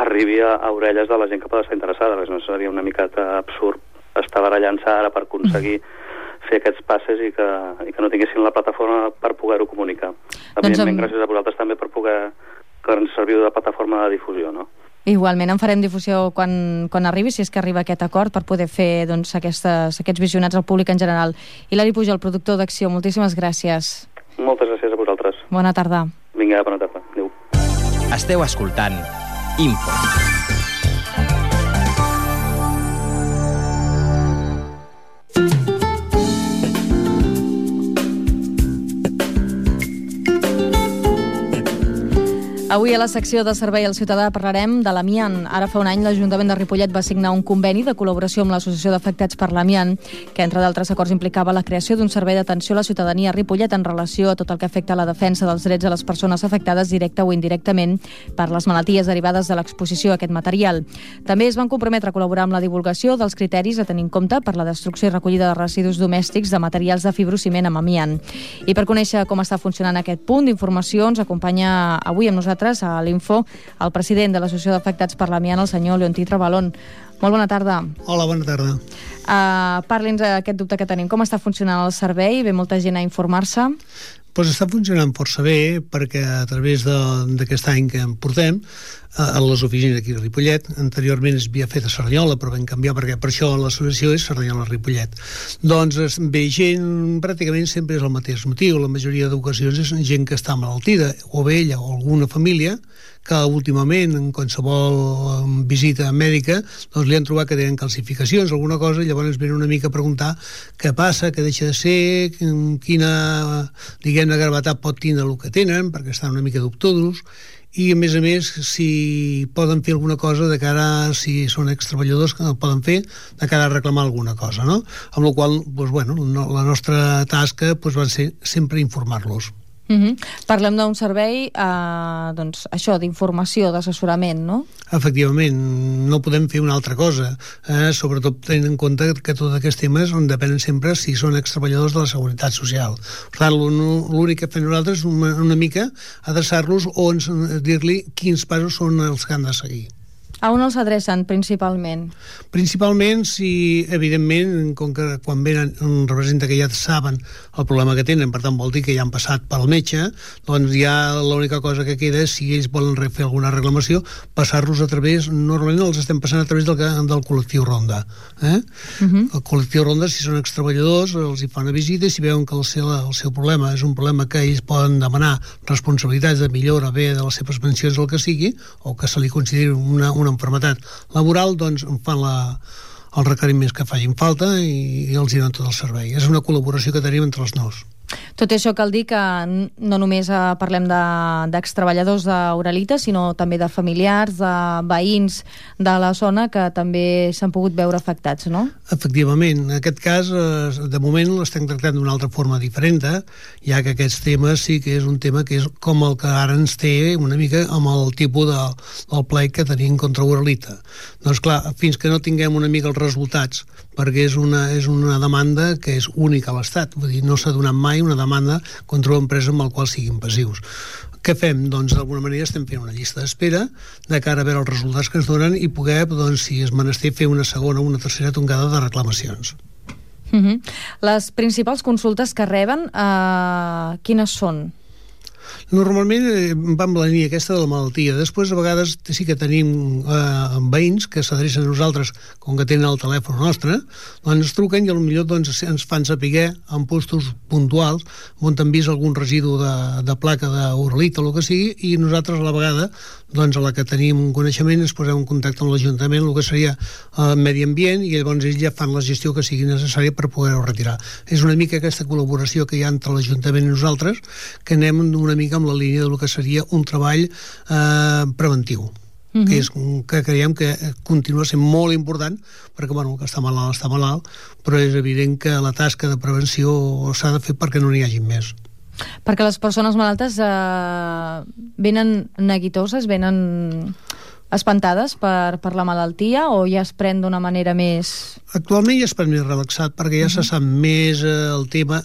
arribi a, a orelles de la gent que pot estar interessada, perquè no seria una miqueta absurd estar barallant-se ara per aconseguir uh-huh. fer aquests passes i que, i que no tinguessin la plataforma per poder-ho comunicar. Evidentment, doncs, gràcies a vosaltres també per poder que ens serviu de plataforma de difusió, no? Igualment, en farem difusió quan, quan arribi, si és que arriba aquest acord, per poder fer doncs, aquestes, aquests visionats al públic en general. Hilari Pujol, productor d'Acció, moltíssimes gràcies. Moltes gràcies a vosaltres. Bona tarda. Vinga, bona tarda. Adéu. Esteu escoltant Info. Avui a la secció de Servei al Ciutadà parlarem de l'amiant. Ara fa un any l'Ajuntament de Ripollet va signar un conveni de col·laboració amb l'Associació d'Afectats per l'Amiant, que entre d'altres acords implicava la creació d'un servei d'atenció a la ciutadania a Ripollet en relació a tot el que afecta a la defensa dels drets de les persones afectades directa o indirectament per les malalties derivades de l'exposició a aquest material. També es van comprometre a col·laborar amb la divulgació dels criteris a tenir en compte per la destrucció i recollida de residus domèstics de materials de fibrociment amb amiant. I per conèixer com està funcionant aquest punt d'informació ens acompanya avui amb nosaltres a l'Info el president de l'Associació d'Afectats per l'Amiant, el senyor Leontí Trabalón. Molt bona tarda. Hola, bona tarda. Uh, Parli'ns aquest dubte que tenim. Com està funcionant el servei? Ve molta gent a informar-se? Pues està funcionant força bé, perquè a través d'aquest any que en portem a les oficines aquí a Ripollet, anteriorment es havia fet a Cerdanyola, però vam canviar perquè per això l'associació és Cerdanyola-Ripollet. Doncs ve gent, pràcticament sempre és el mateix motiu, la majoria d'ocasions és gent que està malaltida, o bé ella o alguna família, que últimament en qualsevol visita mèdica doncs li han trobat que tenen calcificacions, alguna cosa, i llavors venen una mica a preguntar què passa, què deixa de ser, quina, diguem-ne, gravetat pot tindre el que tenen, perquè estan una mica dubtosos, i a més a més si poden fer alguna cosa de cara, si són extreballadors que no poden fer, de cara a reclamar alguna cosa, no? Amb la qual cosa, doncs, bueno, la nostra tasca doncs, va ser sempre informar-los. Uh-huh. Parlem d'un servei eh, doncs, això, d'informació, d'assessorament, no? Efectivament, no podem fer una altra cosa, eh? Sobretot tenint en compte que tots aquests temes depenen sempre si són extreballadors de la Seguretat Social. Per tant, l'únic que fem nosaltres és una, una mica adreçar-los o dir-li quins passos són els que han de seguir. A on els adrecen, principalment? Principalment, si, evidentment, com que quan venen representa que ja saben el problema que tenen, per tant vol dir que ja han passat pel metge, doncs ja l'única cosa que queda és, si ells volen fer alguna reclamació, passar-los a través, normalment els estem passant a través del, del col·lectiu Ronda. Eh? Uh-huh. El col·lectiu Ronda, si són extreballadors, els hi fan una visita i si veuen que el seu, el seu problema és un problema que ells poden demanar responsabilitats de millora bé de les seves pensions o el que sigui, o que se li consideri una, una enfermetat laboral, doncs fan la, els requeriments que facin falta i, i els hi donen tot el servei. És una col·laboració que tenim entre els nous. Tot això cal dir que no només eh, parlem d'extreballadors de, d'Uralita, sinó també de familiars, de veïns de la zona que també s'han pogut veure afectats, no? Efectivament. En aquest cas, eh, de moment l'estem tractant d'una altra forma diferent, eh? Ja que aquests temes sí que és un tema que és com el que ara ens té una mica amb el tipus de, del plec que tenim contra Uralita. Doncs clar, fins que no tinguem una mica els resultats, perquè és una, és una demanda que és única a l'Estat, vull dir, no s'ha donat mai una demanda demanda contra una empresa amb la qual siguin passius. Què fem? Doncs d'alguna manera estem fent una llista d'espera de cara a veure els resultats que ens donen i poder, doncs, si és menester, fer una segona o una tercera tongada de reclamacions. Uh-huh. Les principals consultes que reben, eh, quines són? Normalment eh, va amb la línia aquesta de la malaltia. Després, a vegades, sí que tenim eh, veïns que s'adrecen a nosaltres, com que tenen el telèfon nostre, doncs ens truquen i potser doncs, ens fan saber en postos puntuals on han vist algun residu de, de placa d'uralita o el que sigui, i nosaltres a la vegada, doncs a la que tenim un coneixement, ens posem en contacte amb l'Ajuntament, el que seria eh, medi ambient, i llavors ells ja fan la gestió que sigui necessària per poder-ho retirar. És una mica aquesta col·laboració que hi ha entre l'Ajuntament i nosaltres, que anem una mica amb la línia del que seria un treball eh, preventiu, uh-huh. que és que creiem que continua sent molt important, perquè bueno, el que està malalt està malalt, però és evident que la tasca de prevenció s'ha de fer perquè no n'hi hagi més. Perquè les persones malaltes eh, venen neguitoses, venen espantades per, per la malaltia, o ja es pren d'una manera més... Actualment ja es pren més relaxat, perquè ja uh-huh. se sap més eh, el tema.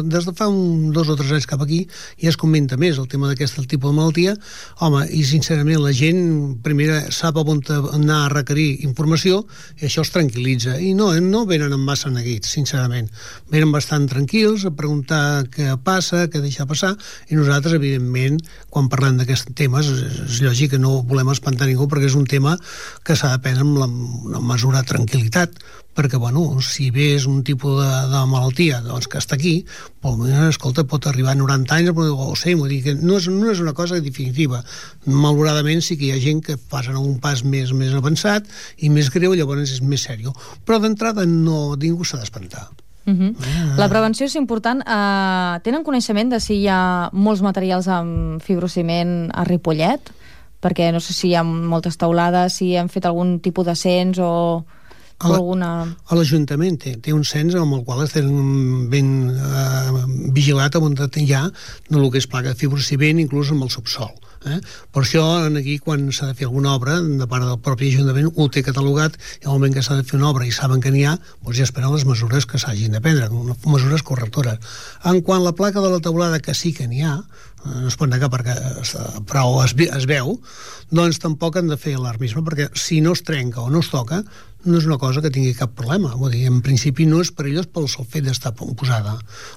Des de fa un, dos o tres anys cap aquí ja es comenta més el tema d'aquest tipus de malaltia. Home, i sincerament la gent primera sap on anar a requerir informació i això es tranquil·litza. I no, no venen amb massa neguits, sincerament. Venen bastant tranquils a preguntar què passa, què deixa passar, i nosaltres, evidentment, quan parlem d'aquests temes, és lògic que no volem espantar ningú, perquè és un tema que s'ha de prendre amb la, una mesura de tranquil·litat, perquè, bueno, si bé és un tipus de, de malaltia doncs, que està aquí, però, escolta, pot arribar a noranta anys, o sé, vull dir que no és, no és una cosa definitiva. Malauradament sí que hi ha gent que passen un pas més, més avançat i més greu, llavors és més sèrio. Però d'entrada no, ningú s'ha d'espantar. Uh-huh. Ah. La prevenció és important. Uh, tenen coneixement de si hi ha molts materials amb fibrociment a Ripollet? Perquè no sé si hi ha moltes taulades, si han fet algun tipus de cens o, o alguna... A l'Ajuntament té, té un cens amb el qual estem ben eh, vigilat on hi ha el que és placa de fibrociment, inclús amb el subsol. Eh? Per això, aquí, quan s'ha de fer alguna obra, de part del propi Ajuntament, ho té catalogat, i al moment que s'ha de fer una obra i saben que n'hi ha, doncs ja esperen les mesures que s'hagin de prendre, mesures correctores. En quant a la placa de la teulada, que sí que n'hi ha, no es pot negar perquè però es, es veu, doncs tampoc han de fer alarmisme, perquè si no es trenca o no es toca, no és una cosa que tingui cap problema. Vull dir, en principi no és perillós pel sol fet d'estar posada.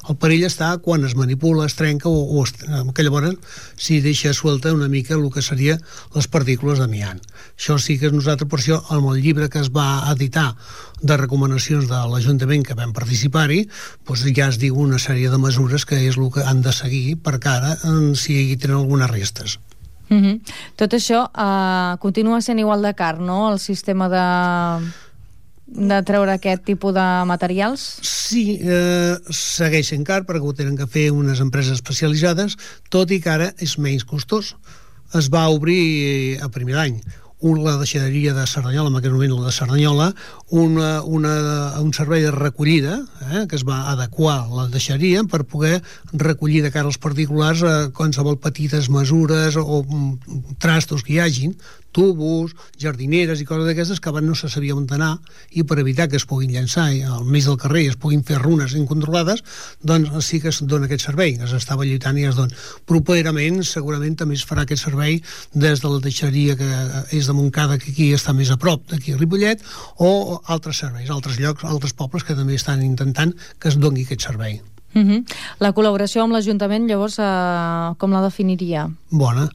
El perill està quan es manipula, es trenca o, o es, que llavors si deixa suelta una mica el que seria les partícules d'amiant. Això sí que nosaltres, per això, amb el llibre que es va editar de recomanacions de l'Ajuntament que vam participar-hi, doncs ja es diu una sèrie de mesures que és el que han de seguir per cara si hi tenen algunes restes. Uh-huh. Tot això uh, continua sent igual de car, no?, el sistema de, de treure aquest tipus de materials? Sí, eh, segueix sent car perquè ho tenen que fer unes empreses especialitzades, tot i que ara és menys costós. Es va obrir a primer d'any un, la deixaderia de Cerdanyola, en aquell moment la de Cerdanyola, una, una, un servei de recollida, eh, que es va adequar la deixaderia per poder recollir de cara als particulars eh, qualsevol petites mesures o mm, trastos que hi hagin, tubos, jardineres i coses d'aquestes que abans no se sabia on anar, i per evitar que es puguin llançar al mig del carrer i es puguin fer runes incontrolades, doncs sí que es dona aquest servei, es estava lluitant i es dona. Properament segurament també es farà aquest servei des de la deixeria que és de Montcada, que aquí està més a prop d'aquí a Ripollet, o altres serveis, altres llocs, altres pobles que també estan intentant que es doni aquest servei. Uh-huh. La col·laboració amb l'Ajuntament, llavors, eh, com la definiria? Bona.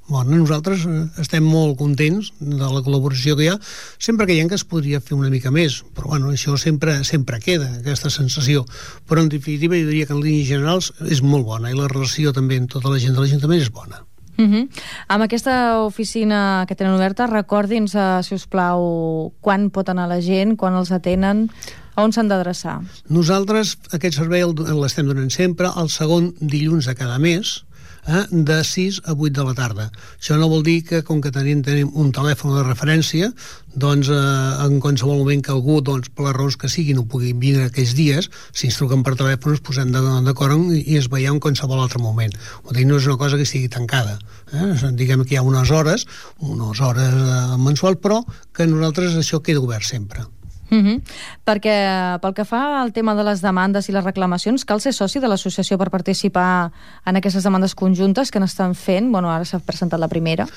Bueno, nosaltres estem molt contents de la col·laboració que hi ha, sempre que hi ha que es podria fer una mica més, però bueno, això sempre sempre queda, aquesta sensació. Però en definitiva jo diria que en línies generals és molt bona, i la relació també amb tota la gent de l'Ajuntament és bona. Uh-huh. Amb aquesta oficina que tenen oberta, recordin-nos, uh, si us plau, quan pot anar la gent, quan els atenen, a on s'han d'adreçar? Nosaltres aquest servei l'estem donant sempre el segon dilluns de cada mes, eh, de sis a vuit de la tarda. Això no vol dir que, com que tenim, tenim un telèfon de referència, doncs eh, en qualsevol moment que algú, doncs, per les raons que siguin, no pugui vindre aquells dies, si ens truquen per telèfon ens posem d'acord i es veiem en qualsevol altre moment. O dir, no és una cosa que estigui tancada. Eh? Diguem que hi ha unes hores, unes hores eh, mensuals, però que nosaltres això queda obert sempre. Uh -huh. Perquè pel que fa al tema de les demandes i les reclamacions, cal ser soci de l'associació per participar en aquestes demandes conjuntes que n'estan fent? Bueno, ara s'ha presentat la primera.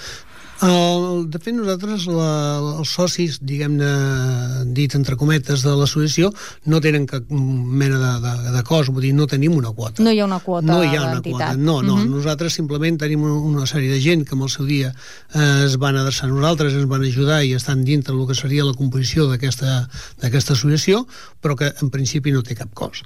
El, de fet, nosaltres, la, els socis, diguem-ne, dit entre cometes, de l'associació, no tenen cap mena de, de, de cost, vull dir, no tenim una quota. No hi ha una quota No hi ha una quota, no, no. Uh -huh. Nosaltres simplement tenim una sèrie de gent que en el seu dia eh, es van adreçar a nosaltres, ens van ajudar i estan dintre del que seria la composició d'aquesta d'aquesta associació, però que en principi no té cap cost.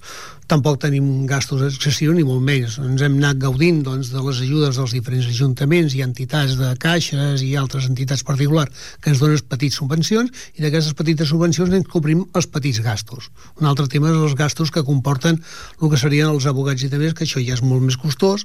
Tampoc tenim gastos excessius, ni molt menys. Ens hem anat gaudint, doncs, de les ajudes dels diferents ajuntaments i entitats de caixes i altres entitats particulars que ens donen petites subvencions, i d'aquestes petites subvencions ens cobrim els petits gastos. Un altre tema és els gastos que comporten el que serien els abogats i també, que això ja és molt més costós,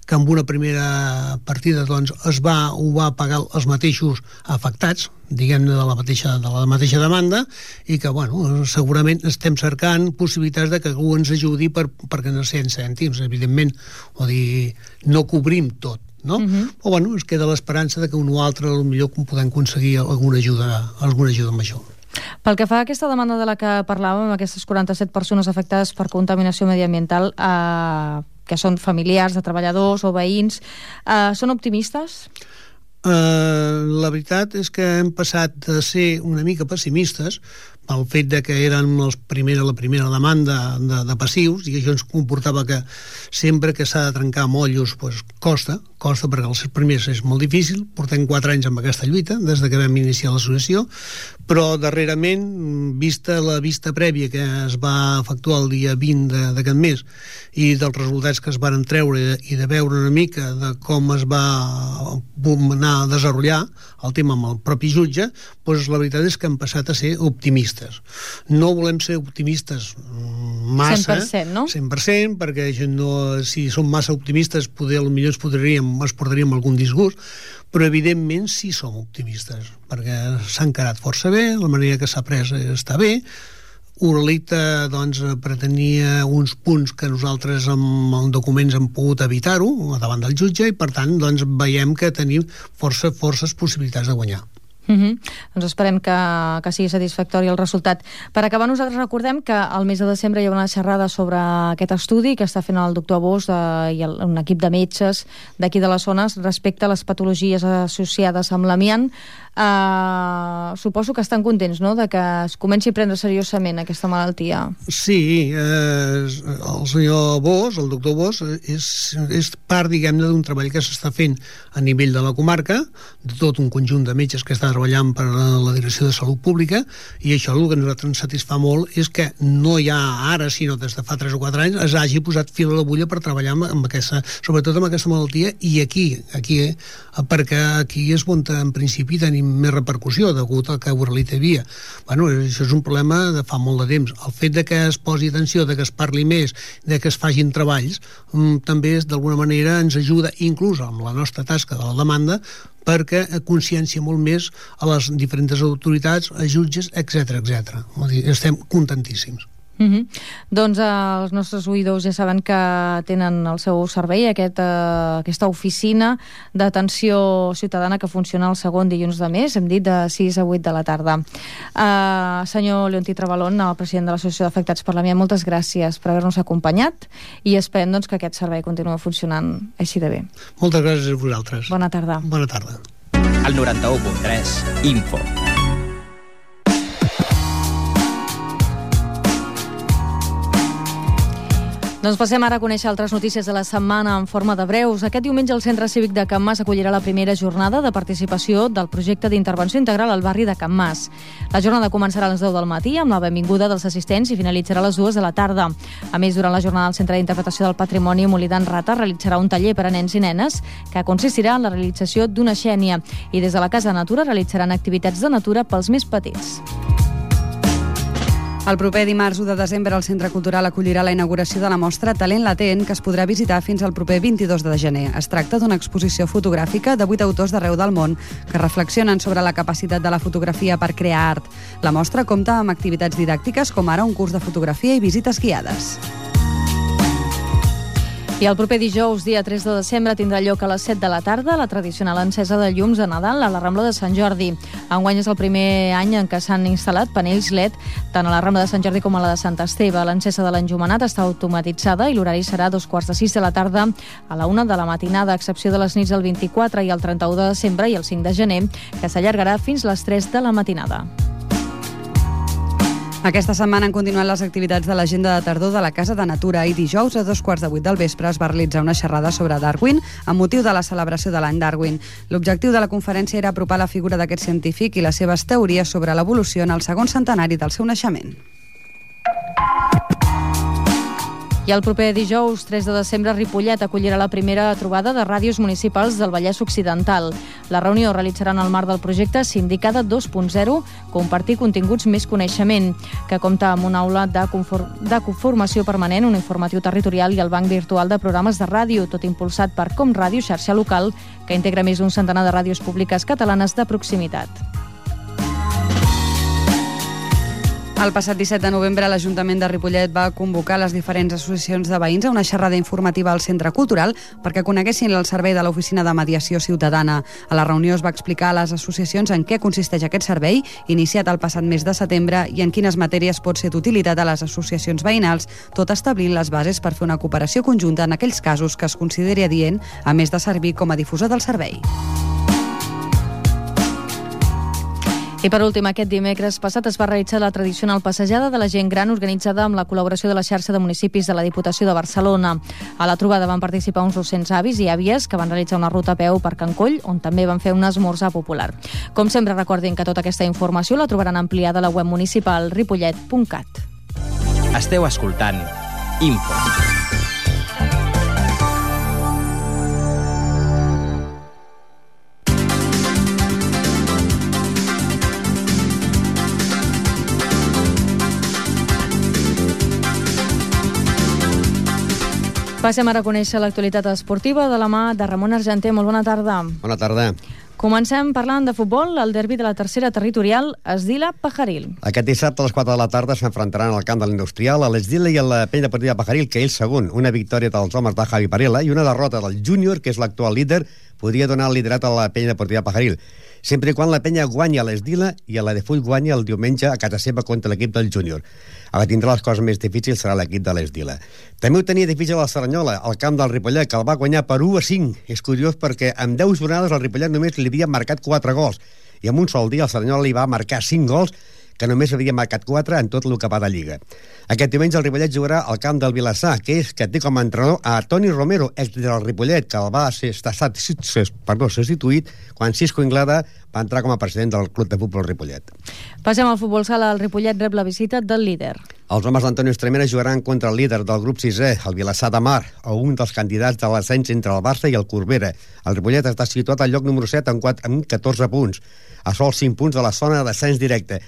que amb una primera partida doncs, es va, ho va pagar els mateixos afectats, diguem-ne, de la mateixa, de la mateixa demanda, i que, bueno, segurament estem cercant possibilitats de que algú ens ajudi per, perquè no cent cèntims, evidentment, o dir, no cobrim tot, no? Uh-huh. O, bueno, es queda l'esperança de que un o altre potser podem aconseguir alguna ajuda, alguna ajuda major. Pel que fa a aquesta demanda de la que parlàvem, aquestes quaranta-set persones afectades per contaminació mediambiental, eh, que són familiars de treballadors o veïns, eh, són optimistes? Uh, la veritat és que hem passat de ser una mica pessimistes pel fet de que eren els primera, la primera demanda de, de passius, i això ens comportava que sempre que s'ha de trencar mollos pues, costa, costa perquè els primers és molt difícil. Portem quatre anys amb aquesta lluita des de que vam iniciar l'associació, però darrerament, vista la vista prèvia que es va efectuar el dia vint d'aquest mes i dels resultats que es van treure i de veure una mica de com es va anar a desenvolupar el tema amb el propi jutge, doncs la veritat és que hem passat a ser optimistes. No volem ser optimistes massa, cent per cent, no? cent per cent, perquè no, si som massa optimistes potser potser ens podríem, ens portaríem algun disgust, però evidentment sí som optimistes, perquè s'ha encarat força bé, la manera que s'ha pres està bé. Uralita doncs, pretenia uns punts que nosaltres amb els documents hem pogut evitar-ho davant del jutge, i per tant doncs, veiem que tenim força, forces possibilitats de guanyar. Uh -huh. Doncs esperem que, que sigui satisfactori el resultat. Per acabar, nosaltres recordem que al mes de desembre hi ha una xerrada sobre aquest estudi que està fent el doctor Bosch eh, i el, un equip de metges d'aquí de les zones respecte a les patologies associades amb l'amiant. Uh, suposo que estan contents, no?, de que es comenci a prendre seriosament aquesta malaltia. Sí, eh, el senyor Bosch, el doctor Bosch, és, és part, diguem-ne, d'un treball que s'està fent a nivell de la comarca, de tot un conjunt de metges que està treballant per la Direcció de Salut Pública, i això el que a nosaltres ens satisfà molt és que no hi ha ara, sinó des de fa tres o quatre anys, es hagi posat fil a l'agulla per treballar amb, amb aquesta, sobretot amb aquesta malaltia, i aquí, aquí eh, perquè aquí és on en principi tenim més repercussió degut al que Uralita hi havia. Bueno, això és un problema de fa molt de temps. El fet de que es posi atenció, de que es parli més, de que es facin treballs, també d'alguna manera ens ajuda, inclús amb la nostra tasca de la demanda, perquè consciència molt més a les diferents autoritats, a jutges, etcètera, etcètera. Estem contentíssims. Uh -huh. Doncs eh, els nostres oïdors ja saben que tenen al seu servei aquest, eh, aquesta oficina d'atenció ciutadana que funciona el segon dilluns de mes, hem dit de sis a vuit de la tarda. Eh, senyor Leontí Travalón, el president de l'Associació d'Afectats per l'Amiant, moltes gràcies per haver-nos acompanyat i esperem doncs, que aquest servei continuï funcionant així de bé. Moltes gràcies a vosaltres. Bona tarda. Bona tarda. El noranta-u punt tres, Info. Doncs passem ara a conèixer altres notícies de la setmana en forma de breus. Aquest diumenge el Centre Cívic de Can Mas acollirà la primera jornada de participació del projecte d'intervenció integral al barri de Can Mas. La jornada començarà a les deu del matí amb la benvinguda dels assistents i finalitzarà a les dues de la tarda. A més, durant la jornada el Centre d'Interpretació del Patrimoni Molí d'en Rata realitzarà un taller per a nens i nenes que consistirà en la realització d'una xènia, i des de la Casa de Natura realitzaran activitats de natura pels més petits. El proper dimarts u de desembre el Centre Cultural acollirà la inauguració de la mostra Talent Latent, que es podrà visitar fins al proper vint-i-dos de gener. Es tracta d'una exposició fotogràfica de vuit autors d'arreu del món que reflexionen sobre la capacitat de la fotografia per crear art. La mostra compta amb activitats didàctiques com ara un curs de fotografia i visites guiades. I el proper dijous, dia tres de desembre, tindrà lloc a les set de la tarda la tradicional encesa de llums de Nadal a la Rambla de Sant Jordi. Enguany és el primer any en què s'han instal·lat panells L E D tant a la Rambla de Sant Jordi com a la de Sant Esteve. L'encesa de l'enjomenat està automatitzada i l'horari serà a dos quarts de sis de la tarda a la una de la matinada, a excepció de les nits del vint-i-quatre i el trenta-u de desembre i el cinc de gener, que s'allargarà fins les tres de la matinada. Aquesta setmana han continuat les activitats de l'agenda de tardor de la Casa de Natura i dijous a dos quarts de vuit del vespre es va realitzar una xerrada sobre Darwin amb motiu de la celebració de l'any Darwin. L'objectiu de la conferència era apropar la figura d'aquest científic i les seves teories sobre l'evolució en el segon centenari del seu naixement. I el proper dijous, tres de desembre, Ripollet acollirà la primera trobada de ràdios municipals del Vallès Occidental. La reunió realitzarà en el marc del projecte Sindicada dos punt zero, compartir continguts més coneixement, que compta amb una aula de, conform de conformació permanent, un informatiu territorial i el banc virtual de programes de ràdio, tot impulsat per Com Ràdio, xarxa local, que integra més d'un centenar de ràdios públiques catalanes de proximitat. El passat disset de novembre, l'Ajuntament de Ripollet va convocar les diferents associacions de veïns a una xerrada informativa al Centre Cultural perquè coneguessin el servei de l'Oficina de Mediació Ciutadana. A la reunió es va explicar a les associacions en què consisteix aquest servei, iniciat el passat mes de setembre, i en quines matèries pot ser d'utilitat a les associacions veïnals, tot establint les bases per fer una cooperació conjunta en aquells casos que es consideri adient, a més de servir com a difusor del servei. I per últim, aquest dimecres passat es va realitzar la tradicional passejada de la gent gran organitzada amb la col·laboració de la xarxa de municipis de la Diputació de Barcelona. A la trobada van participar uns dos-cents avis i àvies que van realitzar una ruta a peu per Can Coll, on també van fer un esmorzar popular. Com sempre, recordin que tota aquesta informació la trobaran ampliada a la web municipal ripollet punt cat. Esteu escoltant Info. Passem ara a conèixer l'actualitat esportiva de la mà de Ramon Argenter. Molt bona tarda. Bona tarda. Comencem parlant de futbol. El derbi de la tercera territorial, Esdila-Pajaril. Aquest dissabte a les quatre de la tarda s'enfrontaran al camp de l'Industrial a l'Esdila i a la Penya Deportiva Pajaril, que és segon. Una victòria dels homes de Javi Parela i una derrota del Júnior, que és l'actual líder, podria donar el liderat a la Penya Deportiva Pajaril, sempre i quan la Penya guanya a l'Esdila i a la de Full guanya el diumenge a casa seva contra l'equip del Júnior. Ara tindrà les coses més difícils serà l'equip de l'Esdila. També ho tenia difícil a la Cerdanyola, al camp del Ripollet, que el va guanyar per u a cinc. És curiós perquè en deu jornades el Ripollet només li havia marcat quatre gols i en un sol dia el Cerdanyola li va marcar cinc gols, que només havia marcat quatre en tot el que va de Lliga. Aquest diumenge el Ripollet jugarà al camp del Vilassar, que és que té com a entrenador a Toni Romero, ex del Ripollet, que el va ser, estar, perdó, ser substituït quan Cisco Inglada va entrar com a president del Club de Futbol Ripollet. Passem al futbol sala. El Ripollet rep la visita del líder. Els homes d'Antonio Estremera jugaran contra el líder del grup sisè, el Vilassar de Mar, o un dels candidats de l'ascens entre el Barça i el Corbera. El Ripollet està situat al lloc número set amb, quatre, amb catorze punts, a sols cinc punts de la zona d'ascens directe.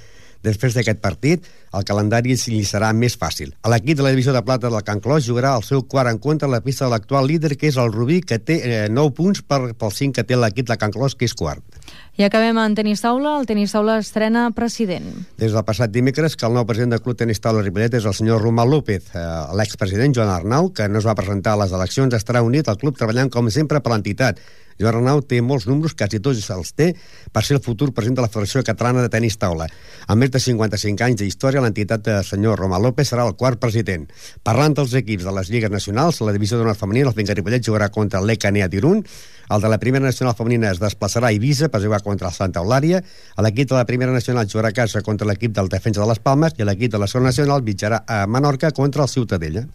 Després d'aquest partit, el calendari li serà més fàcil. L'equip de la divisió de plata del Can Clos jugarà el seu quart encontre a la pista de l'actual líder, que és el Rubí, que té eh, nou punts per, pel cinc que té l'equip de Can Clos, que és quart. I acabem en tenis taula. El tenis taula estrena president. Des del passat dimecres que el nou president del Club Tenis Taula Ripollet és el senyor Romà López. Eh, L'expresident Joan Arnau, que no es va presentar a les eleccions, estarà unit al club treballant com sempre per l'entitat. Joan Arnau té molts números, quasi tots els té, per ser el futur president de la Federació Catalana de Tenis Taula. Amb més de cinquanta-cinc anys d'història, l'entitat del senyor Romà López serà el quart president. Parlant dels equips de les lligues nacionals, la divisió d'honor femenina, el Finca Ripollet jugarà contra l'E C A N E A d'Irun, el de la primera nacional femenina es desplaçarà a Eivissa per jugar contra el Santa Eulària, l'equip de la primera nacional jugarà a casa contra l'equip del Defensa de les Palmes i l'equip de la segona nacional viatjarà a Menorca contra el Ciutadella.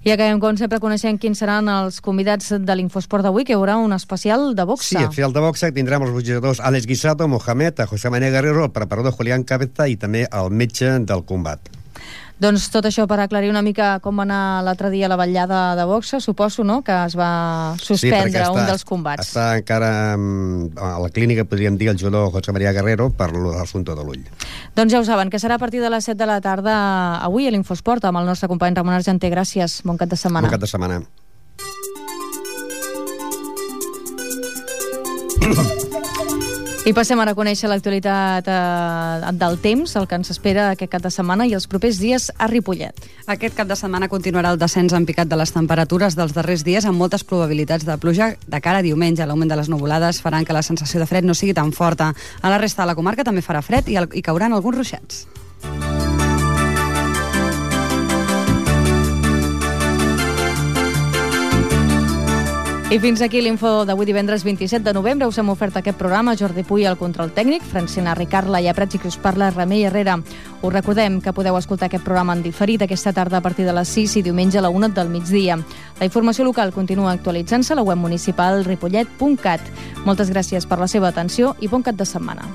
I acabem, com sempre, coneixent quins seran els convidats de l'Infosport d'avui, que hi haurà un especial de boxa. Sí, el especial de boxa tindrem els boxejadors Àlex Guisado, Mohamed, a José María Guerrero, el preparador Julián Cabeza i també el metge del combat. Doncs tot això per aclarir una mica com va anar l'altre dia la vetllada de boxa, suposo, no?, que es va suspendre sí, està, un dels combats. Està encara a la clínica, podríem dir, el jugador José María Guerrero per l'assumpte de l'ull. Doncs ja ho saben, que serà a partir de les set de la tarda avui a l'Infosport amb el nostre company Ramon Argenter. Gràcies, bon cap de setmana. Bon cap de setmana. I passem ara a conèixer l'actualitat eh, del temps, el que ens espera aquest cap de setmana i els propers dies a Ripollet. Aquest cap de setmana continuarà el descens en picat de les temperatures dels darrers dies amb moltes probabilitats de pluja de cara a diumenge. L'augment de les nuvolades faran que la sensació de fred no sigui tan forta. A la resta de la comarca també farà fred i, el, i cauran alguns ruixats. I fins aquí l'info d'avui divendres vint-i-set de novembre. Us hem ofert aquest programa Jordi Puy al control tècnic, Francina Ricarla i a Prats i que us parla Remei Herrera. Us recordem que podeu escoltar aquest programa en diferit aquesta tarda a partir de les sis i diumenge a la una del migdia. La informació local continua actualitzant-se a la web municipal ripollet punt cat. Moltes gràcies per la seva atenció i bon cap de setmana.